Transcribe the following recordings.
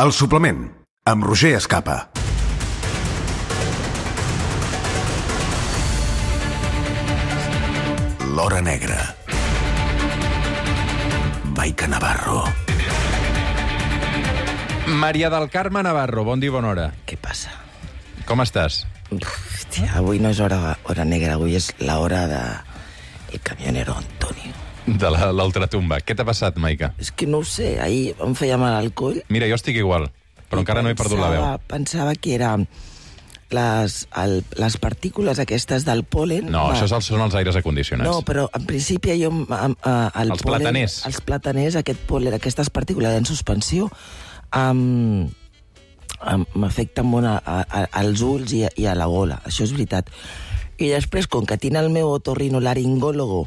El suplement, amb Roger Escapa. L'Hora Negra. Maica Navarro. Maria del Carme Navarro, bon dia i bona hora. Què passa? Com estàs? Hòstia, avui no és hora negra, avui és l'hora de el camionero Antonio. De l'ultratumba. Què t'ha passat, Maica? És que no ho sé, ahir em feia mal al coll. Mira, jo estic igual, però encara no he perdut la veu. Pensava que era les partícules aquestes del pol·len... No, això són els aires acondicionats. No, però en principi jo... Els plataners. Els plataners, aquest pol·len, aquestes partícules en suspensió, m'afecten molt als ulls i a la gola, això és veritat. I després, com que tinc el meu otorrinolaringòlogo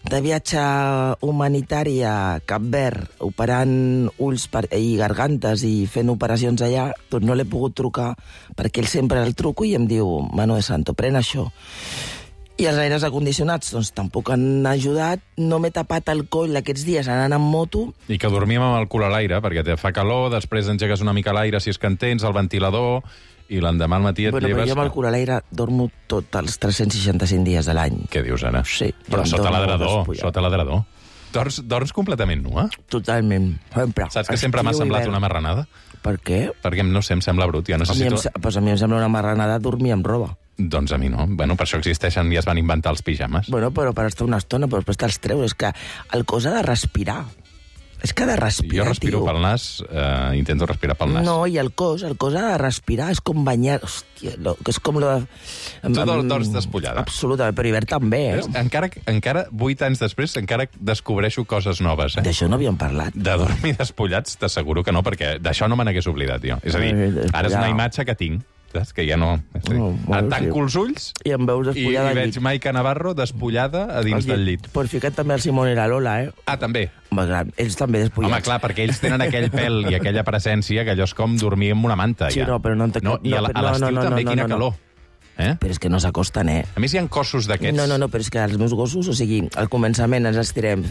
de viatge humanitari a Cap Verd, operant ulls i gargantes i fent operacions allà, doncs no l'he pogut trucar, perquè ell sempre el truco i em diu, Mano de Santo, pren això. I els aires acondicionats, doncs, tampoc han ajudat. No m'he tapat el coll aquests dies anant amb moto. I que dormim amb el cul a l'aire, perquè te fa calor, després engegues una mica l'aire si és que en tens, el ventilador, i l'endemà al matí et lleves... Però jo amb el cul a l'aire dormo tots els 365 dies de l'any. Què dius, ara? Sí. Però sota l'adredor. Dors completament nua? Totalment. Sempre. Saps que sempre m'ha semblat una marranada? Per què? Perquè, no sé, em sembla brut. Jo necessito... Pues a mi em sembla una marranada dormir amb roba. Doncs a mi no. Bueno, per això existeixen i es van inventar els pijames. Bueno, però per estar una estona, però després te'ls treus. És que el cos ha de respirar. És que ha de respirar, jo respiro pel nas, intento respirar pel nas. No, i el cos ha de respirar, és com banyar... Hòstia, és com... Tu dors despullada. Absolutament, però hivern també, Encara 8 anys després, encara descobreixo coses noves, D'això no havíem parlat. De dormir despullats, t'asseguro que no, perquè d'això no me n'hagués oblidat, jo. És a dir, ara és una imatge que tinc, que ja no... Tanco els ulls i em veus despullada i veig Maica Navarro despullada a dins del llit. Pues fica't també el Simón i la Lola, Ah, també? Home, clar, ells també despullats. Home, clar, perquè ells tenen aquell pèl i aquella presència que allò és com dormir amb una manta, ja. Sí, no, però no... I a l'estiu també, quina calor. Però és que no s'acosten, A més, hi ha cossos d'aquests... No, però és que els meus gossos, o sigui, al començament ens estirem,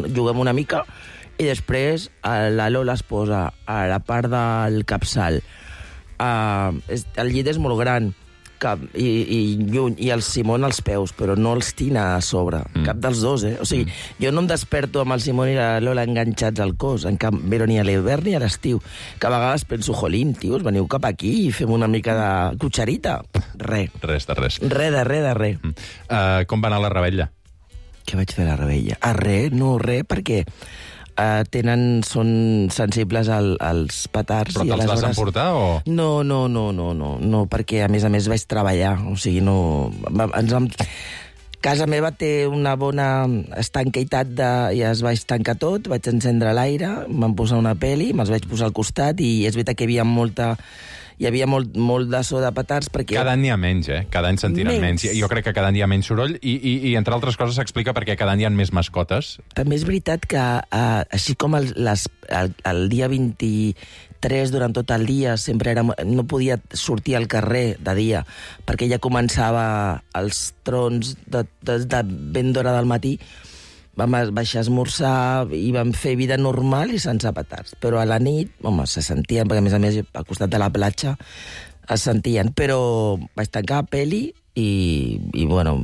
juguem una mica, i després la Lola es posa a la part del capçal. El llit és molt gran i lluny, i el Simón als peus, però no els tinc a sobre, cap dels dos, O sigui, jo no em desperto amb el Simón i la Lola enganxats al cos, però ni a l'hivern ni a l'estiu, que a vegades penso, jolín, tios, veniu cap aquí i fem una mica de cucharita. Res. Res de res. Res de res. Com va anar la revetlla? Què vaig fer a la revetlla? Res, perquè... són sensibles als petards. Però te'ls vas emportar, o...? No, perquè a més vaig treballar, o sigui, no... Casa meva té una bona estanquitat i es vaig tancar tot, vaig encendre l'aire, em van posar una peli, me'ls vaig posar al costat, i és veritat que hi havia molt de so de petards, perquè... Cada any n'hi ha menys, Cada any se'n tiren menys. Jo crec que cada any hi ha menys soroll i entre altres coses, s'explica perquè cada any hi ha més mascotes. També és veritat que, així com el dia 23, durant tot el dia, no podia sortir al carrer de dia, perquè ja començava els trons de ben d'hora del matí, vam baixar a esmorzar i vam fer vida normal i sense petards. Però a la nit, home, se sentien, perquè a més, al costat de la platja es sentien. Però vaig tancar peli i bueno,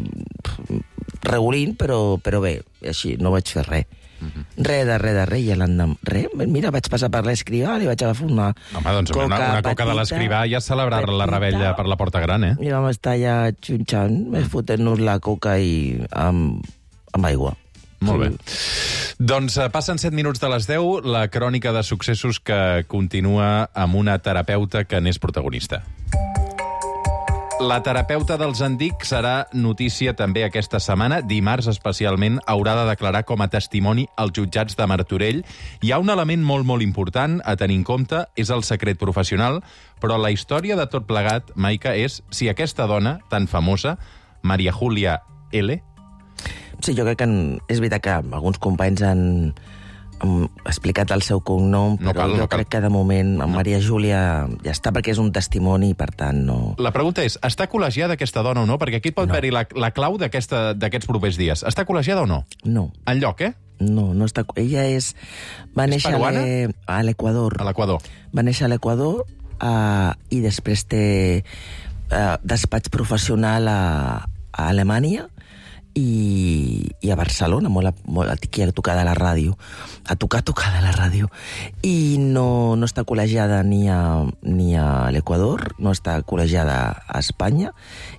regulint, però bé, així, no vaig fer res. Res de res, i l'endemà... Mira, vaig passar per l'escrivà, li vaig agafar una Home, doncs una coca de l'escrivà ja celebrar la rebella per la Porta Gran, I vam estar allà xunxant, fotent-nos la coca amb aigua. Molt bé. Doncs passen 7 minuts de les 10, la crònica de successos que continua amb una terapeuta que n'és protagonista. La terapeuta dels Andic serà notícia també aquesta setmana. Dimarts, especialment, haurà de declarar com a testimoni als jutjats de Martorell. Hi ha un element molt important a tenir en compte, és el secret professional, però la història de tot plegat, Maica, és si aquesta dona tan famosa, Maria Júlia L., sí, jo crec que és veritat que alguns companys han explicat el seu cognom, però jo crec que de moment amb Maria Júlia ja està, perquè és un testimoni i per tant no... La pregunta és, està col·legiada aquesta dona o no? Perquè aquí pot haver-hi la clau d'aquests propers dies. Està col·legiada o no? No. Enlloc, No està... Ella va néixer peruana? a l'Equador. A l'Equador. Va néixer a l'Equador i després té despatx professional a Alemanya i a Barcelona, molt aquí a tocar de la ràdio. A tocar de la ràdio. I no està col·legiada ni a l'Equador, no està col·legiada a Espanya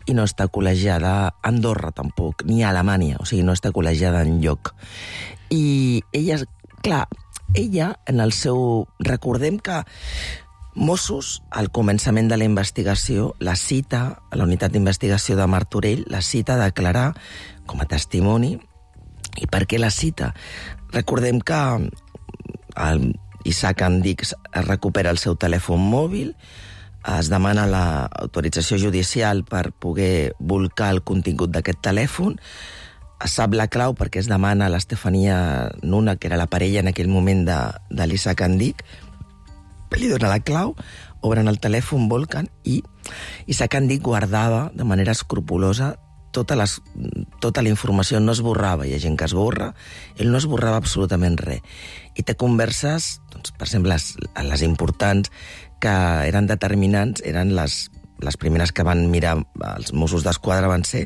i no està col·legiada a Andorra tampoc, ni a Alemanya, o sigui, no està col·legiada enlloc. I ella, clar, en el seu... Recordem que Mossos, al començament de la investigació, la cita, a la unitat d'investigació de Martorell, la cita a declarar com a testimoni. I per què la cita? Recordem que Isaac Andic es recupera el seu telèfon mòbil, es demana l'autorització judicial per poder volcar el contingut d'aquest telèfon, es sap la clau perquè es demana a l'Estefania Nuna, que era la parella en aquell moment de l'Isaac Andic, li dona la clau, obren el telèfon, volquen, i Isaac Andic guardava de manera escrupulosa tota la informació, no esborrava, hi ha gent que esborra, ell no esborrava absolutament res. I té converses, doncs, per exemple, les importants, que eren determinants, eren les primeres que van mirar els Mossos d'Esquadra van ser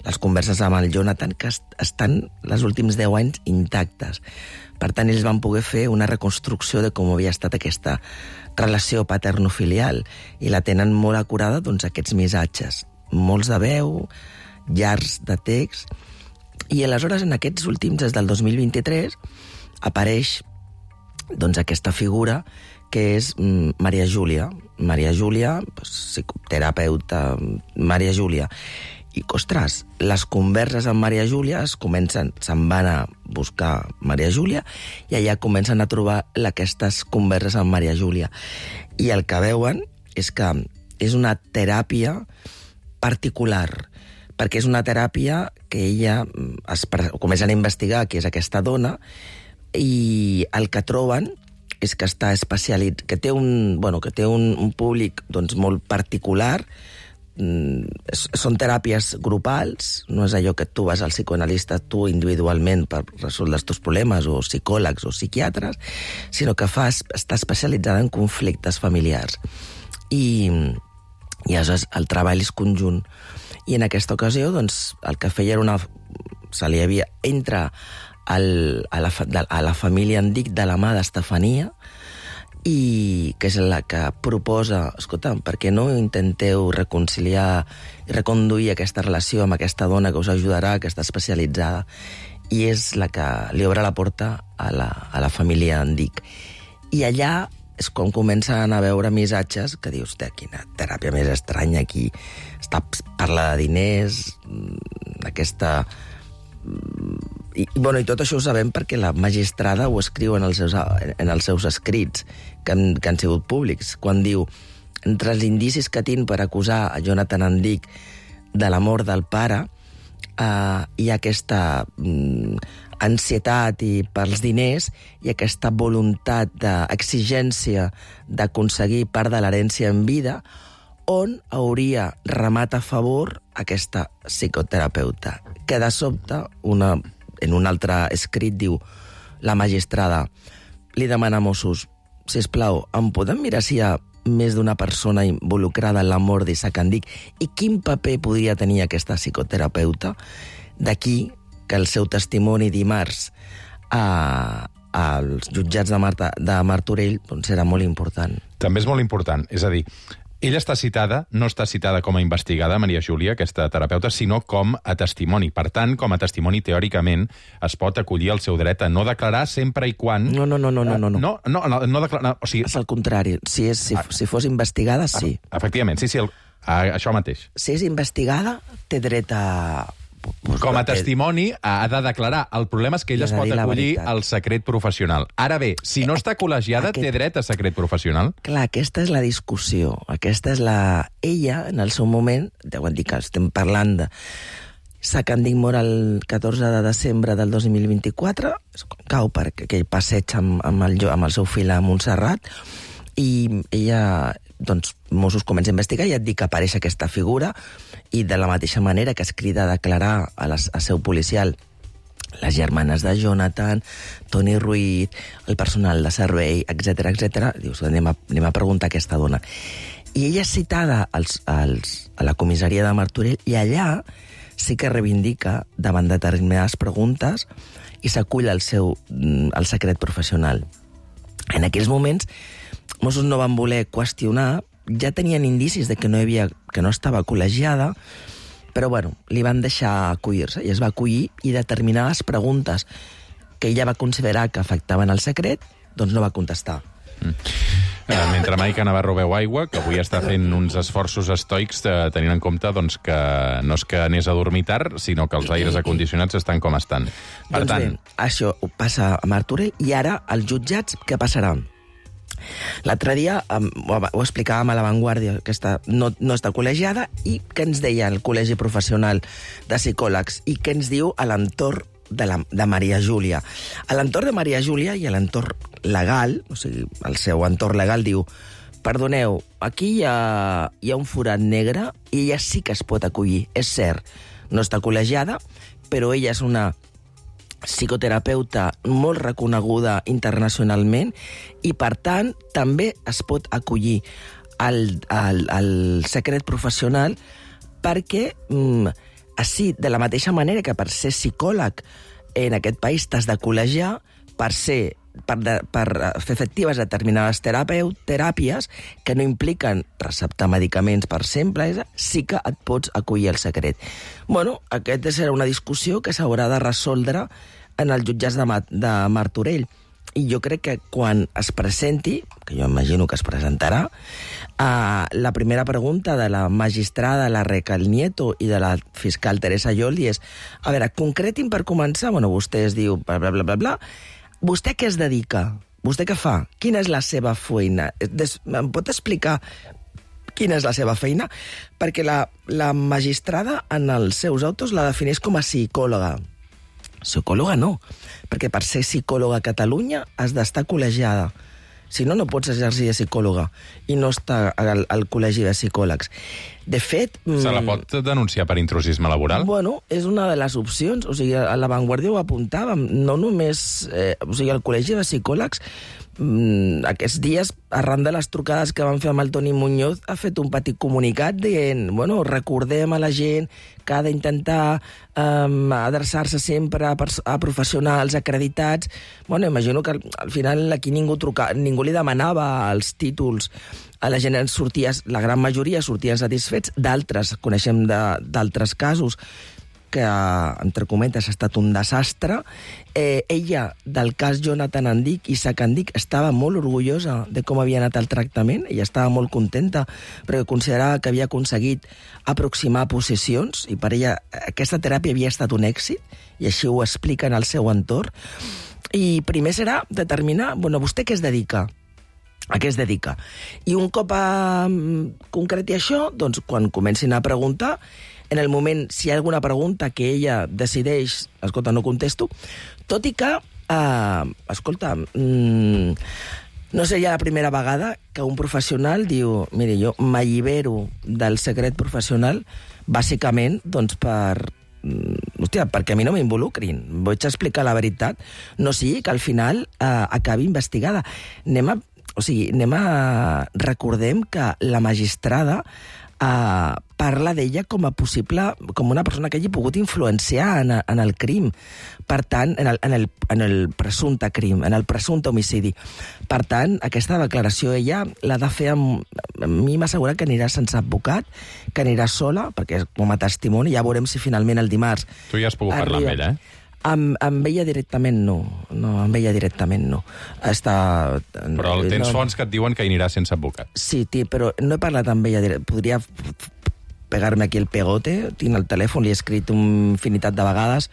les converses amb el Jonathan, que estan els últims 10 anys intactes. Per tant, ells van poder fer una reconstrucció de com havia estat aquesta relació paterno-filial i la tenen molt acurada, doncs, aquests missatges. Molts de veu, llargs de text, i aleshores en aquests últims, des del 2023, apareix doncs, aquesta figura que és Maria Júlia. Maria Júlia, psicoterapeuta, Maria Júlia. I, ostres, les converses amb Maria Júlia se'n van a buscar Maria Júlia i allà comencen a trobar aquestes converses amb Maria Júlia. I el que veuen és que és una teràpia particular, perquè és una teràpia que ella comencen a investigar qui és aquesta dona i el que troben és que està especialitzat, que té un públic doncs, molt particular. Són teràpies grupals, no és allò que tu vas al psicoanalista tu individualment per resoldre els teus problemes, o psicòlegs o psiquiatres, sinó que està especialitzada en conflictes familiars. I aleshores el treball és conjunt. I en aquesta ocasió, doncs, el que feia era entra a la família Andic de la mà d'Estefania, i que és la que proposa, escolta, per què no intenteu reconciliar i reconduir aquesta relació amb aquesta dona que us ajudarà, que està especialitzada. I és la que li obre la porta a la família Andic. I allà és quan comencen a veure missatges que dius, quina teràpia més estranya aquí. Parla de diners, aquesta... I tot això ho sabem perquè la magistrada ho escriu en els seus escrits, que han sigut públics, quan diu, entre els indicis que tinc per acusar a Jonathan Andic de la mort del pare, hi ha aquesta ansietat pels diners i aquesta voluntat d'exigència d'aconseguir part de l'herència en vida, on hauria remat a favor aquesta psicoterapeuta, que de sobte, en un altre escrit, diu la magistrada, li demana a Mossos, sisplau, em podem mirar si hi ha més d'una persona involucrada en la mort d'Isaac Andic i quin paper podria tenir aquesta psicoterapeuta? D'aquí que el seu testimoni dimarts als jutjats de Martorell doncs era molt important. També és molt important, és a dir, ella no està citada com a investigada, Maria Júlia, aquesta terapeuta, sinó com a testimoni. Per tant, com a testimoni, teòricament, es pot acollir el seu dret a no declarar sempre i quan... No. No declarar... O sigui... És el contrari. Si fos investigada, sí. Efectivament, sí, això mateix. Si és investigada, té dret a... Com a testimoni ha de declarar. El problema és que ella es pot acollir al secret professional. Ara bé, si no està col·legiada, té dret a secret professional? Clar, aquesta és la discussió. Aquesta és Ella, en el seu moment, deuen dir que estem parlant de... Isaac Andic mor el 14 de desembre del 2024, cau per aquell passeig amb el seu fill a Montserrat, i ella, doncs, Mossos comença a investigar i et dic que apareix aquesta figura i de la mateixa manera que es crida a declarar a seu policial les germanes de Jonathan, Toni Ruiz, el personal de servei, etc etc. Dius, anem a preguntar a aquesta dona. I ella és citada a la comissaria de Martorell i allà sí que reivindica davant determinades preguntes i s'acull el secret professional. En aquells moments, Mossos no van voler qüestionar, ja tenien indicis de que no estava col·legiada, però bueno, li van deixar acollir-se i es va acollir i determinades preguntes que ella va considerar que afectaven el secret, doncs no va contestar. Mentre Maica Navarro veu aigua, que avui està fent uns esforços estoics tenint en compte doncs, que no és que anés a dormir tard, sinó que els aires acondicionats estan com estan. Per doncs tant... bé, això passa a Martorell i ara als jutjats què passarà? L'altre dia ho explicàvem a La Vanguardia, que no està col·legiada, i què ens deia el Col·legi Professional de Psicòlegs i què ens diu a l'entorn de Maria Júlia. A l'entorn de Maria Júlia i a l'entorn legal, o sigui, el seu entorn legal diu: perdoneu, aquí hi ha un forat negre i ella sí que es pot acollir. És cert, no està col·legiada, però ella és una psicoterapeuta molt reconeguda internacionalment i, per tant, també es pot acollir al secret professional perquè així, de la mateixa manera que per ser psicòleg en aquest país t'has de col·legiar, per fer efectives determinades teràpies que no impliquen receptar medicaments per sempre, sí que et pots acollir al secret. Bueno, aquesta serà una discussió que s'haurà de resoldre en els jutjats de Martorell. I jo crec que quan es presenti, que jo imagino que es presentarà, la primera pregunta de la magistrada la Recal Nieto i de la fiscal Teresa Yoldi és: a veure, concretin per començar, bueno, vostè es diu bla, bla, bla, bla, bla, vostè què es dedica? Vostè què fa? Quina és la seva feina? Em pot explicar quina és la seva feina? Perquè la magistrada en els seus autos la defineix com a psicòloga. Psicòloga no, perquè per ser psicòloga a Catalunya has d'estar col·legiada. Si no, no pots exercir de psicòloga i no estar al col·legi de psicòlegs. De fet... Se la pot denunciar per intrusisme laboral? Bueno, és una de les opcions. O sigui, a La Vanguardia ho apuntàvem. No només... o sigui, el col·legi de psicòlegs aquests dies, arran de les trucades que van fer amb el Toni Muñoz, ha fet un petit comunicat dient, bueno, recordem a la gent que ha d'intentar adreçar-se sempre a professionals acreditats. Bueno, imagino que al final aquí ningú li demanava els títols. A la gent sortia, la gran majoria sortien satisfets, d'altres, coneixem d'altres casos, que, entre cometes, ha estat un desastre. Ella, del cas Jonathan Andic i Isaac Andic, estava molt orgullosa de com havia anat el tractament, ella estava molt contenta, perquè considerava que havia aconseguit aproximar posicions, i per ella aquesta teràpia havia estat un èxit, i així ho explica en el seu entorn. I primer serà determinar, bueno, vostè què es dedica? A què es dedica? I un cop concreti això, doncs quan comencin a preguntar, en el moment, si hi ha alguna pregunta que ella decideix, escolta, no contesto, tot i que, escolta, no seria la primera vegada que un professional diu, mire, jo m'allibero del secret professional, bàsicament, doncs perquè a mi no m'involucrin. Vaig explicar la veritat, no sigui que al final acabi investigada. Recordem que la magistrada parla d'ella com una persona que hagi pogut influenciar en el crim, per tant, en el presumpte crim, en el presumpte homicidi. Per tant, aquesta declaració ella l'ha de fer a mi m'assegura que anirà sense advocat, que anirà sola, perquè com a testimoni, ja veurem si finalment el dimarts... Tu ja has pogut parlar amb ella, Amb ella directament no. Amb ella directament no. Però tens fonts que et diuen que anirà sense advocat. Sí, però no he parlat amb ella directament. Podria pegar-me aquí el pegote, tinc el telèfon, li he escrit una infinitat de vegades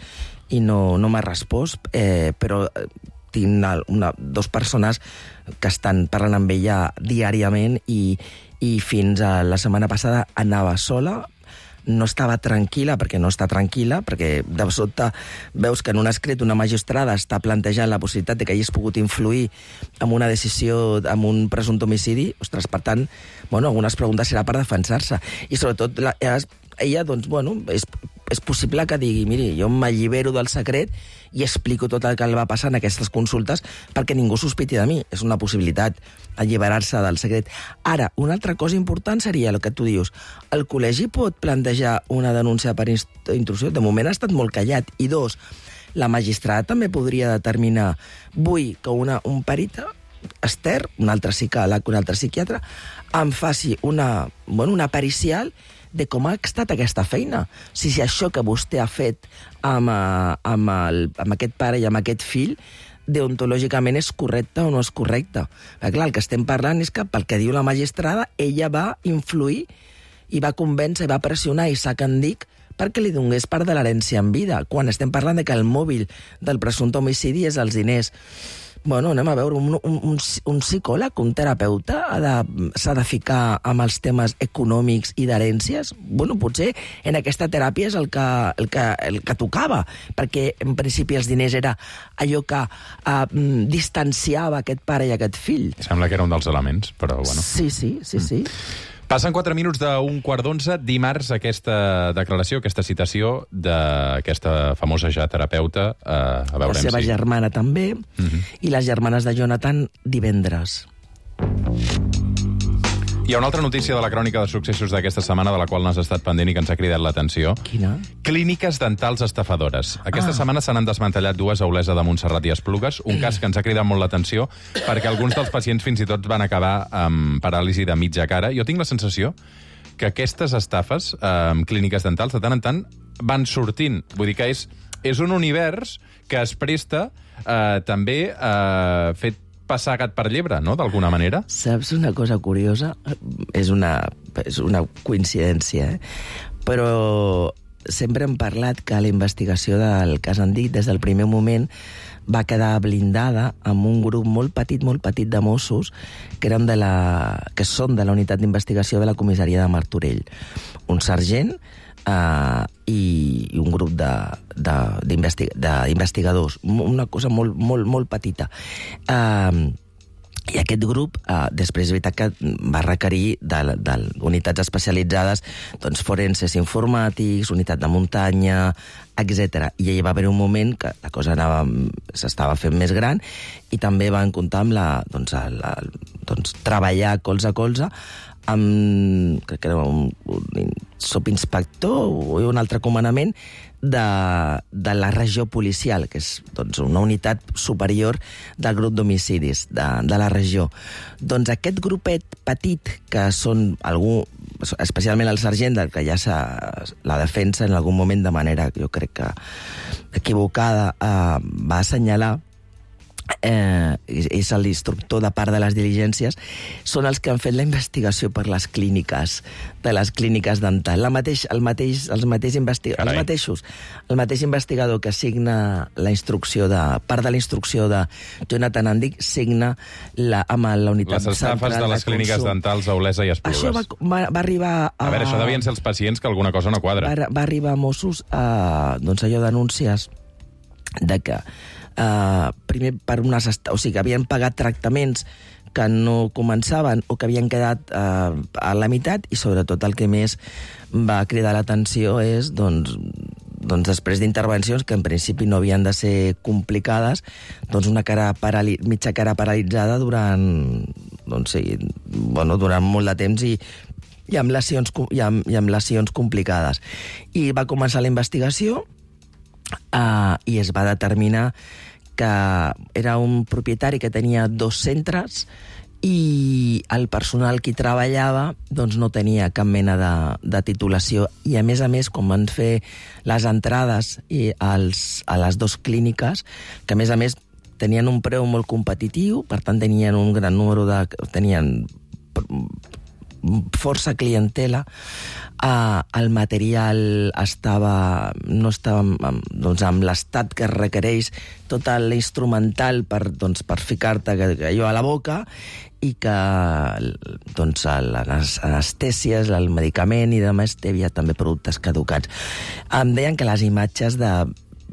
i no m'ha respost, però tinc dos persones que estan parlant amb ella diàriament i fins a la setmana passada anava sola, no estava tranquil·la, perquè no està tranquil·la, perquè de sobte veus que en un escrit una magistrada està plantejant la possibilitat de que hagis pogut influir en una decisió, en un presumpte homicidi. Ostres, per tant, algunes preguntes serà per defensar-se. I sobretot, ella, doncs, és possible que digui, miri, jo m'allibero del secret i explico tot el que li va passar en aquestes consultes perquè ningú sospiti de mi. És una possibilitat, alliberar-se del secret. Ara, una altra cosa important seria el que tu dius. El col·legi pot plantejar una denúncia per intrusió? De moment ha estat molt callat. I dos, la magistrada també podria determinar, vull que un perita extern, un altre psicòleg, un altre psiquiatre, em faci una pericial de com ha estat aquesta feina. Si això que vostè ha fet amb aquest pare i amb aquest fill, deontològicament és correcte o no és correcte. Perquè, clar, el que estem parlant és que, pel que diu la magistrada, ella va influir i va convèncer, va pressionar Isaac Andic perquè li donés part de l'herència en vida, quan estem parlant de que el mòbil del presumpte homicidi és els diners. Bueno, anem a veure, un psicòleg, un terapeuta, s'ha de ficar amb els temes econòmics i d'herències? Bueno, potser en aquesta teràpia és el que tocava, perquè en principi els diners era allò que distanciava aquest pare i aquest fill. Sembla que era un dels elements, però bueno. Sí. Passen 4 minuts d'un 10:15. Dimarts, aquesta declaració, aquesta citació d'aquesta famosa ja terapeuta. A veure la seva germana també, i les germanes de Jonathan divendres. Hi ha una altra notícia de la crònica de successos d'aquesta setmana de la qual n'has estat pendent i que ens ha cridat l'atenció. Quina? Clíniques dentals estafadores. Aquesta setmana se n'han desmantellat 2 a Olesa de Montserrat i Esplugues, un cas que ens ha cridat molt l'atenció perquè alguns dels pacients fins i tot van acabar amb paràlisi de mitja cara. Jo tinc la sensació que aquestes estafes amb clíniques dentals de tant en tant van sortint. Vull dir que és un univers que es presta també a fer passar gat per llebre, no?, d'alguna manera. Saps una cosa curiosa? És una coincidència, però sempre hem parlat que la investigació del cas Andic, des del primer moment, va quedar blindada amb un grup molt petit de Mossos que són de la unitat d'investigació de la comissaria de Martorell. Un sergent i un grup d'investigadors, una cosa molt petita. I aquest grup, després és veritat que va requerir d'unitats especialitzades, doncs forenses informàtics, unitat de muntanya, etc. I hi va haver un moment que la cosa s'estava fent més gran i també van comptar amb treballar colze a colze amb, crec que era un subinspector o un altre comandament de la regió policial, que és una unitat superior del grup d'homicidis de la regió. Doncs aquest grupet petit, que són algú, especialment el sergent, que ja la defensa en algun moment de manera, jo crec que equivocada, va assenyalar, és l'instructor de part de les diligències, són els que han fet la investigació per les clíniques, de les clíniques dentals. El mateix investigador que signa la instrucció part de la instrucció de Jonathan Andic signa amb la unitat les estafes de les clíniques dentals a Olesa i Esplugues. Això va arribar a veure, això devien ser els pacients que alguna cosa no quadra. Va arribar a Mossos allò denúncies de que primer per que havien pagat tractaments que no començaven o que havien quedat a la meitat, i sobretot el que més va cridar l'atenció és després d'intervencions que en principi no havien de ser complicades, una mitja cara paralitzada durant molt de temps i amb lesions complicades. I va començar la investigació i es va determinar que era un propietari que tenia 2 centres i el personal que hi treballava no tenia cap mena de titulació, i a més, quan van fer les entrades a les 2 clíniques, que a més tenien un preu molt competitiu, per tant tenien un gran número tenien força clientela, el material no estava amb l'estat que requereix tot l'instrumental per ficar-te allò a la boca, i que les anestèsies, el medicament i demés, hi havia també productes caducats. Em deien que les imatges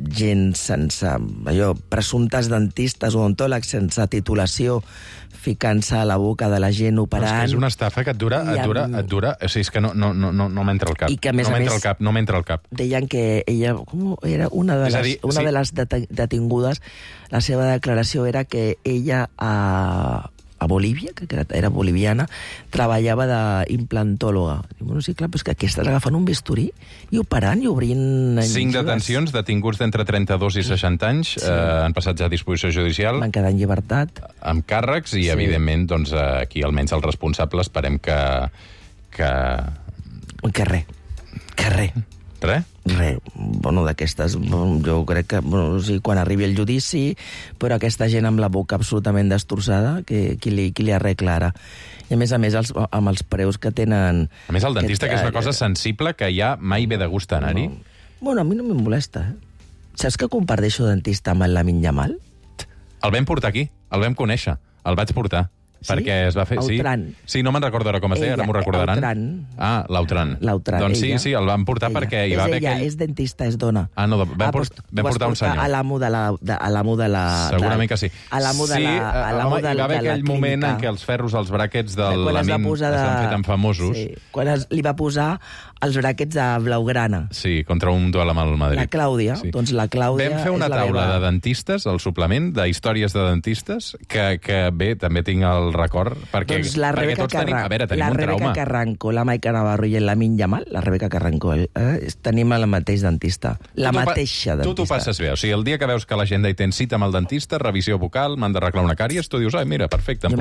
gent sense... allò, presumptes dentistes o odontòlegs sense titulació ficant-se a la boca de la gent operant. És una estafa que et dura... O sigui, és que no m'entra al cap. I que, a més, no m'entra al cap. Deien que ella... Com era una de les detingudes, la seva declaració era que ella a Bolívia, que era boliviana, treballava d'implantòloga. Bueno, sí, clar, però és que aquí estàs agafant un bisturí i operant i obrint... 5 detencions, detinguts d'entre 32 i 60 anys, han passat ja a disposició judicial. Van quedar en llibertat. Amb càrrecs i, evidentment, doncs, aquí almenys el responsable esperem que... Que res. Res? Res. Bueno, d'aquestes, jo crec que, bueno, sí, quan arribi el judici, però aquesta gent amb la boca absolutament destrossada, qui li arregla ara? I a més, amb els preus que tenen... A més, el dentista, que és una cosa sensible, que ja mai ve de gust anar-hi. Bueno, a mi no me molesta, Saps que comparteixo dentista amb el Lamine Yamal? El vam portar aquí, el vam conèixer, el vaig portar. Sí? Perquè es va fer... Autran. Sí, no me'n recordo ara com es deia, ara m'ho recordaran. Autran. Ah, l'Autran. Doncs sí, el vam portar perquè hi va haver aquell... És dentista, és dona. Ah, no, vam portar un senyor. A l'amo de la... Segurament que sí. A l'amo de la... Hi va haver aquell moment en què els ferros, els bràquets del Lamin es van fer tan famosos. Sí, quan li va posar els bràquets de blaugrana. Sí, contra un duel amb el Madrid. La Clàudia. Sí. Doncs la Clàudia... Vam fer una taula de dentistes, el suplement d'històries de dentistes, que bé, també tinc el record, doncs la Rebeca tenim un trauma. La Rebeca Carranco, la Maica Navarro i el Lamine Yamal, la Rebeca Carranco, tenim el mateix dentista. La mateixa dentista. Tu t'ho passes bé. O sigui, el dia que veus que l'agenda hi tens cita amb el dentista, revisió bucal, m'han d'arreglar una càries, tu dius, mira, perfecte, em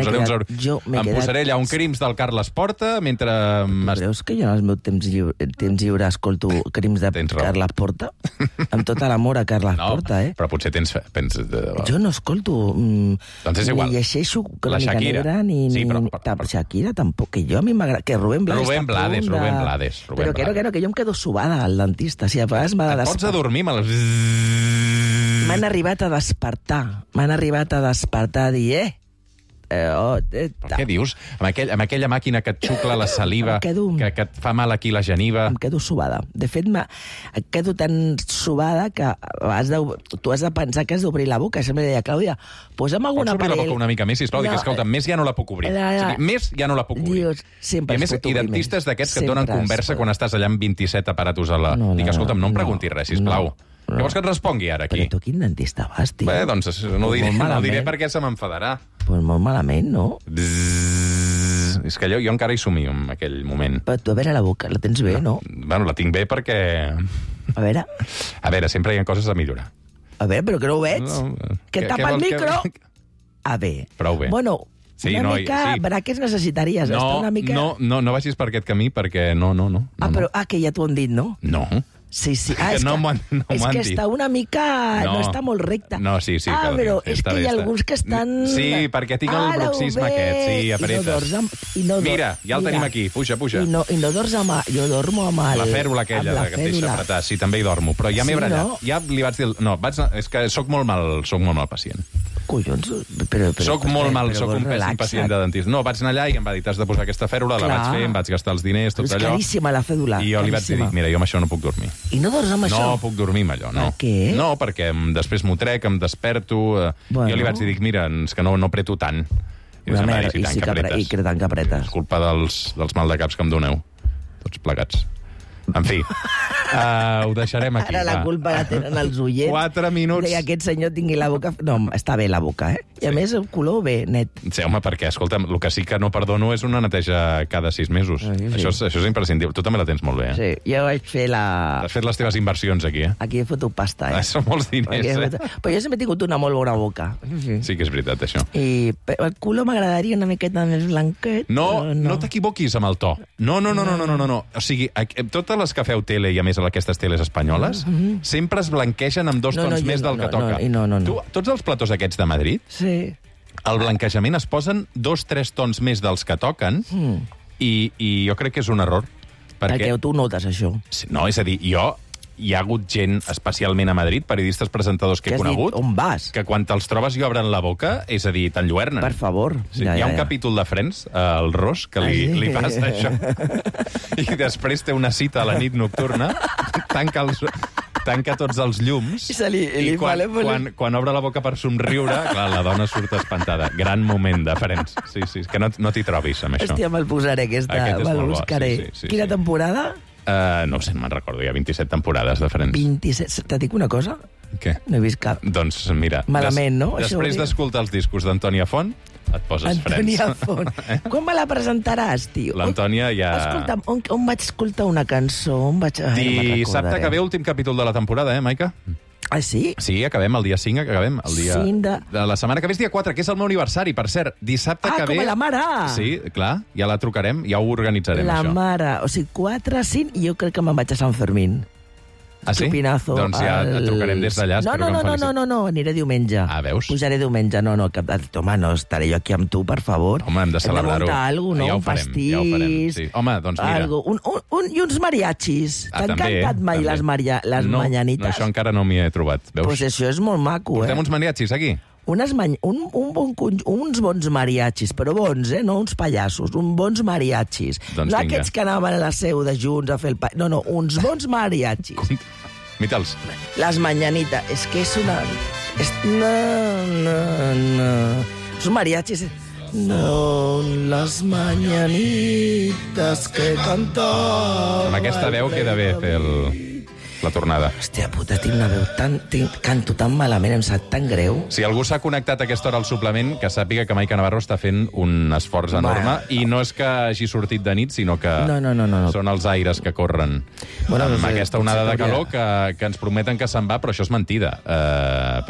posaré allà un crims del Carles Porta, mentre... Tu creus que jo en el meu temps lliure escolto crims de Carles Porta? Amb tot l'amor a Carles Porta, però potser tens... Jo no escolto... Doncs és igual. Ni llegeixo Crònica Negra, ni... Shakira tampoc, que jo a mi m'agrada... Que Rubén Blades Però que jo em quedo subada al dentista. Si a vegades m'ha de despertar. Et pots adormir, m'han arribat a despertar, a dir, què dius? Amb aquella màquina que et xucla la saliva, que et fa mal aquí la geniva... Em quedo subada. De fet, quedo tan subada que tu has de pensar que has d'obrir la boca. Sempre deia, Clàudia, posa'm algun aparell... Pots obrir la boca una mica més, sisplau? Dic, escolta, més ja no la puc obrir. Més ja no la puc obrir. I dentistes d'aquests que et donen conversa quan estàs allà amb 27 aparatos a la... Dic, escolta'm, no em preguntis res, sisplau. Què vols que et respongui ara, aquí? Però tu quin dentista vas, tio? Bé, doncs no ho diré perquè se m'enfadarà. Pues molt malament, no? És que jo encara hi somio en aquell moment. Però tu, a veure, la boca la tens bé, no? Bueno, la tinc bé perquè... A veure, sempre hi ha coses a millorar. A veure, però que no ho veig. Que tapa el micro. A veure. Prou bé. Bueno, una mica braques necessitaries. No vagis per aquest camí perquè no. Que ja t'ho han dit, no? No. Sí. És que està una mica... No està molt recta. No, sí. Però és que hi ha alguns que estan... Sí, perquè tinc el bruxisme aquest. Sí, apretes. Mira, ja el tenim aquí. Puja. I no dors amb... Jo dormo amb el... La fèrula aquella que et deixa apretar. Sí, també hi dormo. Però ja m'he brallat. Ja li vaig dir... No, és que soc molt mal pacient. Collons, però... Soc molt mal, soc un pèssim pacient de dentista. No, vaig anar allà i em va dir, t'has de posar aquesta fèrula, la vaig fer, em vaig gastar els diners, tot allò. És caríssima la fèdula. I jo li vaig dir, mira, jo amb això no puc dormir. I no dors amb això? No puc dormir amb allò, no. Per què? No, perquè després m'ho trec, em desperto... Jo li vaig dir, mira, és que no apreto tant. I tant que apretes. És culpa dels maldecaps que em doneu, tots plegats. En fi, ho deixarem aquí. Ara la culpa la tenen els oients. 4 minuts. Que aquest senyor tingui la boca... No, està bé la boca, I a més el color bé, net. Sí, home, perquè, escolta'm, el que sí que no perdono és una neteja cada 6 mesos. Sí. Això és imprescindible. Tu també la tens molt bé, Sí, jo vaig fer la... Has fet les teves inversions aquí, Aquí he fotut pasta, Són molts diners, Però jo sempre he tingut una molt bona boca. Sí que és veritat, això. I el color m'agradaria una miqueta més blanquet. No t'equivoquis amb el to. No. O sigui, totes les que feu tele, i a més aquestes teles espanyoles, sempre es blanquegen amb 2 tons més del que toca. No. Tots els platós aquests de Madrid, el blanquejament es posen 2-3 tons més dels que toquen, i jo crec que és un error. Perquè tu notes això. No, és a dir, hi ha hagut gent, especialment a Madrid, periodistes presentadors que he conegut, on vas? Que quan te'ls trobes i obren la boca, és a dir, t'enlluernen. Per favor. Hi ha un capítol de Friends, el Ross, que li passa això. I després té una cita a la nit nocturna, tanca tanca tots els llums I quan obre la boca per somriure, clar, la dona surt espantada. Gran moment de Friends. Sí, que no t'hi trobis amb això. Hòstia, me'l posaré, me'l buscaré. Quina temporada? No ho sé, me'n recordo, hi ha 27 temporades de Friends. 27. Te dic una cosa? Què? No he vist cap. Doncs mira... Malament, no? Després d'escoltar els discos d'Antònia Font, et poses Antònia Friends. Font. Quan me la presentaràs, tio? L'Antònia ja... Escolta'm, on vaig escoltar una cançó? Dissabte que ve, últim capítol de la temporada, Maica? Ah, sí? Sí, acabem el dia 5, acabem el dia... 5 de la setmana que ve és dia 4, que és el meu aniversari, per cert. Dissabte que ve... com a la mare! Sí, clar, ja la trucarem, ja ho organitzarem, la això. La mare, o sigui, 4, 5, i jo crec que me'n vaig a Sant Fermín. Ah, sí? Chupinazo. Doncs ja et trucarem des d'allà. No, aniré diumenge. Ah, veus? Pujaré diumenge. No, home, no estaré jo aquí amb tu, per favor. Home, hem de celebrar-ho. Hem de muntar alguna cosa, no? Ja ho Un farem, pastís. ja ho farem. Sí. Home, doncs mira. I uns mariachis. T'han cantat mai les mañanites? No, això encara no m'hi he trobat. Veus? Pues això és molt maco, Portem uns mariachis aquí? Uns bons mariachis, però bons, no uns pallassos, uns bons mariachis. Doncs no aquests que anaven a la seu de Junts a fer el... No, uns bons mariachis. Mitals. Les mañanitas. És que és una... No. Són mariachis... No, les mañanitas que cantava... Amb aquesta veu queda bé fer la tornada. Hòstia puta, tinc una veu canto tan malament, em sap tan greu. Si algú s'ha connectat a aquesta hora al suplement, que sàpiga que Maica Navarro està fent un esforç enorme, i no és que hagi sortit de nit, sinó que són els aires que corren amb aquesta onada de calor que ens prometen que se'n va, però això és mentida,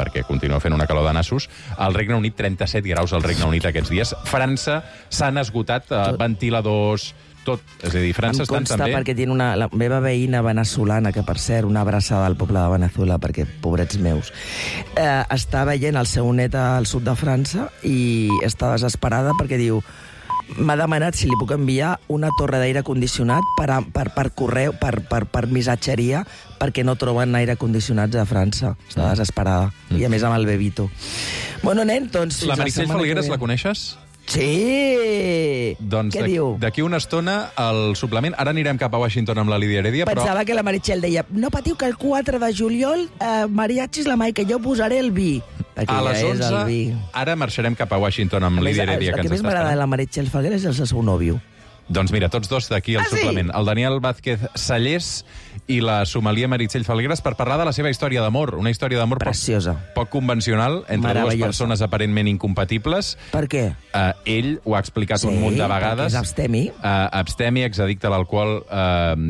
perquè continua fent una calor de nassos. Al Regne Unit, 37 graus al Regne Unit aquests dies. França s'han esgotat ventiladors... Tot. És a dir, França estan també... perquè tinc la meva veïna veneçolana, que per cert, una abraçada al poble de Venezuela, perquè, pobrets meus, està veient el seu net al sud de França i està desesperada perquè diu... M'ha demanat si li puc enviar una torre d'aire condicionat per correu, per missatgeria, perquè no troben aire condicionats a França. Està desesperada. I a més amb el bebito. Bueno, nen, doncs... La Meritxell Falgueres la coneixes? Sí! Doncs què diu? D'aquí una estona, al suplement... Ara anirem cap a Washington amb la Lídia Heredia, però... Pensava que la Meritxell deia no patiu que el 4 de juliol mariachis la Maica, jo posaré el vi. A les 11, ara marxarem cap a Washington amb Lídia Heredia, que ens està esperant. El que més m'agrada de la Meritxell Falgueres és el seu nòvio. Doncs mira, tots dos d'aquí al suplement. El Daniel Vázquez Sallés i la sommelier Meritxell Falgueres per parlar de la seva història d'amor. Una història d'amor poc convencional, entre dues persones aparentment incompatibles. Per què? Ell ho ha explicat un munt de vegades. Sí, perquè és abstemi. Abstemi, exaddicte a l'alcohol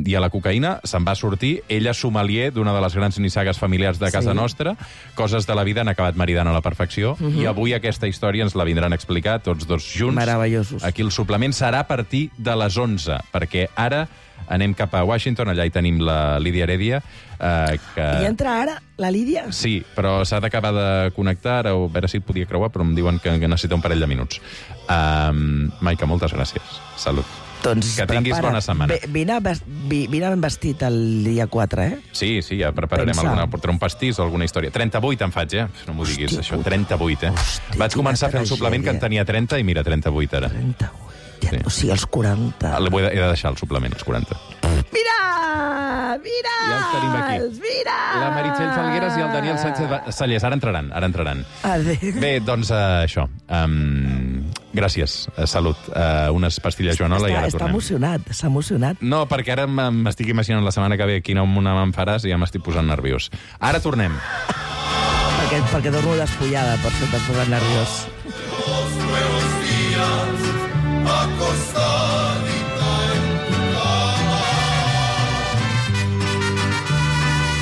i a la cocaïna. Se'n va sortir. Ella sommelier d'una de les grans nissagues familiars de casa nostra. Coses de la vida han acabat maridant a la perfecció. I avui aquesta història ens la vindran a explicar tots dos junts. Meravellosos. Aquí el suplement serà a partir de les 11, perquè ara anem cap a Washington, allà hi tenim la Lídia Heredia. I entra ara la Lídia? Sí, però s'ha d'acabar de connectar, a veure si podia creuar, però em diuen que necessita un parell de minuts. Maica, moltes gràcies. Salut. Doncs que tinguis bona setmana. Vine ben vestit el dia 4, Sí, ja prepararem portaré un pastís o alguna història. 38 en faig, No m'ho diguis, això. 38, Vaig començar a fer el suplement que en tenia 30 i mira, 38 ara. 38. O sigui, els 40. He de deixar el suplement, els 40. Mira! Ja els tenim aquí. Mira! La Meritxell Falgueres i el Daniel Sánchez Sallés. Ara entraran. Adéu. Bé, doncs això. Gràcies. Salut. Unes pastilles Joanola i ara tornem. S'ha emocionat. No, perquè ara m'estic imaginant la setmana que ve quina una me'n faràs i ja m'estic posant nerviós. Ara tornem. perquè dormo despullada, per això t'has posat nerviós. Acostadita en tu cama,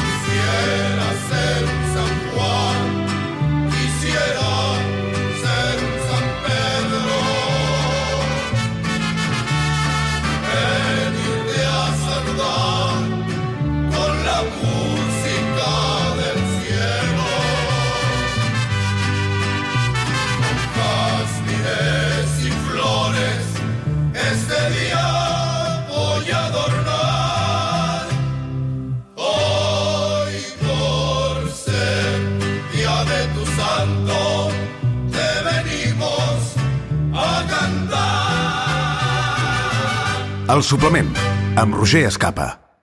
quisiera ser un San Juan, quisiera ser un San Pedro, venirte a saludar con la música del cielo, con jazmines y flores. Este día voy a adornar, hoy por ser día de tu santo, te venimos a cantar. El suplement, amb Roger Escapa.